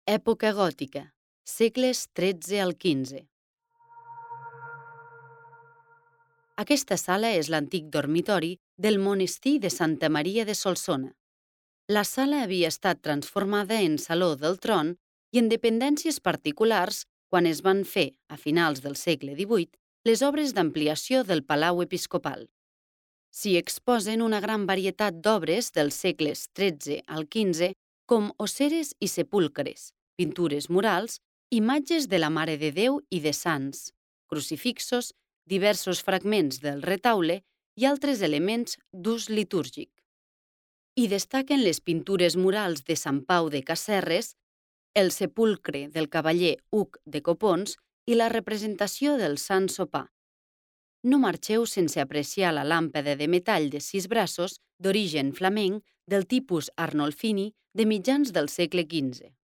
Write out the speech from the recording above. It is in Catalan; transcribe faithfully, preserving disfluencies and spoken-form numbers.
Època gòtica, segles tretze al quinze. Aquesta sala és l'antic dormitori del monestir de Santa Maria de Solsona. La sala havia estat transformada en saló del tron i en dependències particulars quan es van fer, a finals del segle divuit, les obres d'ampliació del Palau Episcopal. S'hi exposen una gran varietat d'obres dels segles tretze al quinze, com osseres i sepulcres, pintures murals, imatges de la Mare de Déu i de sants, crucifixos, diversos fragments del retaule i altres elements d'ús litúrgic. Hi destaquen les pintures murals de Sant Pau de Casserres, el sepulcre del cavaller Hug de Copons i la representació del Sant Sopar. No marxeu sense apreciar la làmpada de metall de sis braços d'origen flamenc del tipus Arnolfini de mitjans del segle quinze.